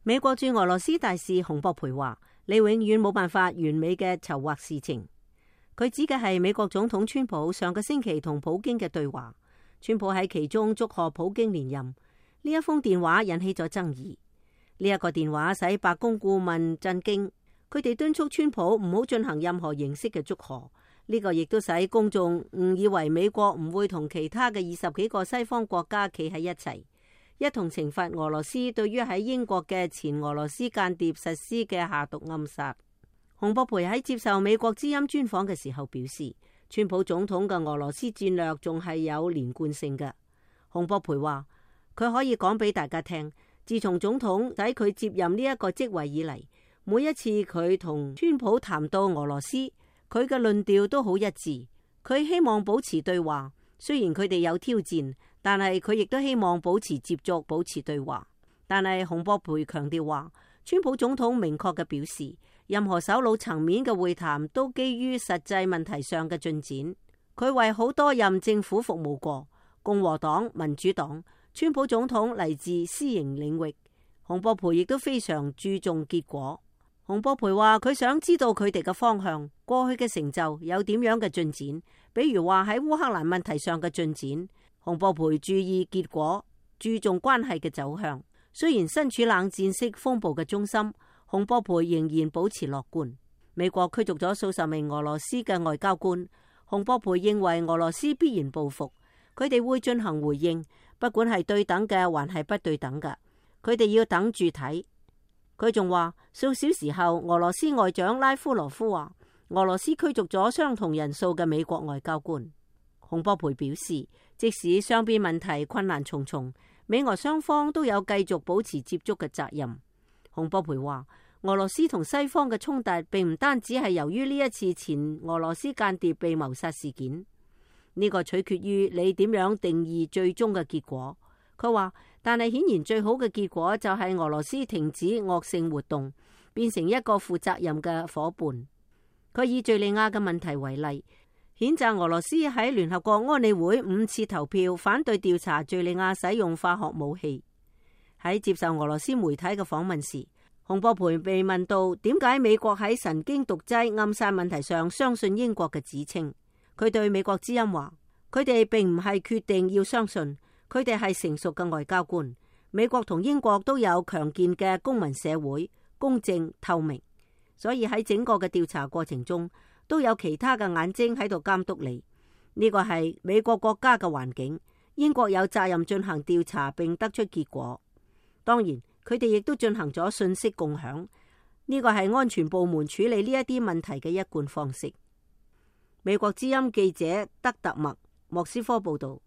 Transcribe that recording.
美國駐俄羅斯大使洪博培話：你永遠冇辦法完美嘅籌劃事情。佢指嘅係美國總統川普上個星期同普京嘅對話。川普喺其中祝賀普京連任。呢一封電話引起咗爭議。呢一個電話使白宮顧問震驚，佢哋敦促川普唔好進行任何形式嘅祝賀。呢個亦都使公眾誤以為美國唔會同其他嘅20幾個西方國家企喺一齊，一同懲罰俄羅斯對於喺英國嘅前俄羅斯間諜實施嘅下毒暗殺。洪博培喺接受美國之音專訪嘅時候表示，川普總統嘅俄羅斯戰略仲係有連貫性嘅。洪博培話，佢可以講俾大家聽，自從總統使佢接任呢一個職位以嚟，每一次佢同川普談到俄羅斯，佢嘅論調都好一致。佢希望保持對話，雖然佢哋有挑戰，但係佢亦都希望保持接觸，保持對話。但係洪博培強調話，川普總統明確嘅表示，任何首腦層面嘅會談都基於實際問題上嘅進展。佢為好多任政府服務過，共和黨、民主黨。川普總統嚟自私營領域，洪博培亦都非常注重結果。洪博培話佢想知道佢哋嘅方向，過去嘅成就有點樣嘅進展，比如話喺烏克蘭問題上嘅進展。洪博培注意結果，注重關係嘅走向。雖然身處冷戰式風暴嘅中心，洪博培仍然保持樂觀。美國驅逐咗數十名俄羅斯嘅外交官，洪博培認為俄羅斯必然報復，佢哋會進行回應。不管係對等嘅還係不對等嘅，佢哋要等住睇。佢仲話數小時後，俄羅斯外長拉夫羅夫話俄羅斯驅逐咗相同人數嘅美國外交官。洪博培表示，即使雙邊問題困難重重，美俄雙方都有繼續保持接觸嘅責任。洪博培話，俄羅斯同西方嘅衝突並唔單止係由於呢一次前俄羅斯間諜被謀殺事件。呢個取決於你點樣定義最終嘅結果。佢話，但係顯然最好嘅結果就係俄羅斯停止惡性活動，變成一個負責任嘅夥伴。佢以敘利亞嘅問題為例，譴責俄羅斯喺聯合國安理會5次投票反對調查敘利亞使用化學武器。喺接受俄羅斯媒體嘅訪問時，洪博培被問到點解美國喺神經毒劑暗殺問題上相信英國嘅指稱。佢對美國之音話，佢哋並唔係決定要相信，佢哋係成熟嘅外交官。美國同英國都有強健嘅公民社會，公正透明，所以喺整個嘅調查過程中，都有其他嘅眼睛喺度監督你。呢個係美國國家嘅環境，英國有責任進行調查並得出結果。當然，佢哋亦都進行咗信息共享，呢個係安全部門處理呢一啲問題嘅一貫方式。美國之音記者德特默，莫斯科報道。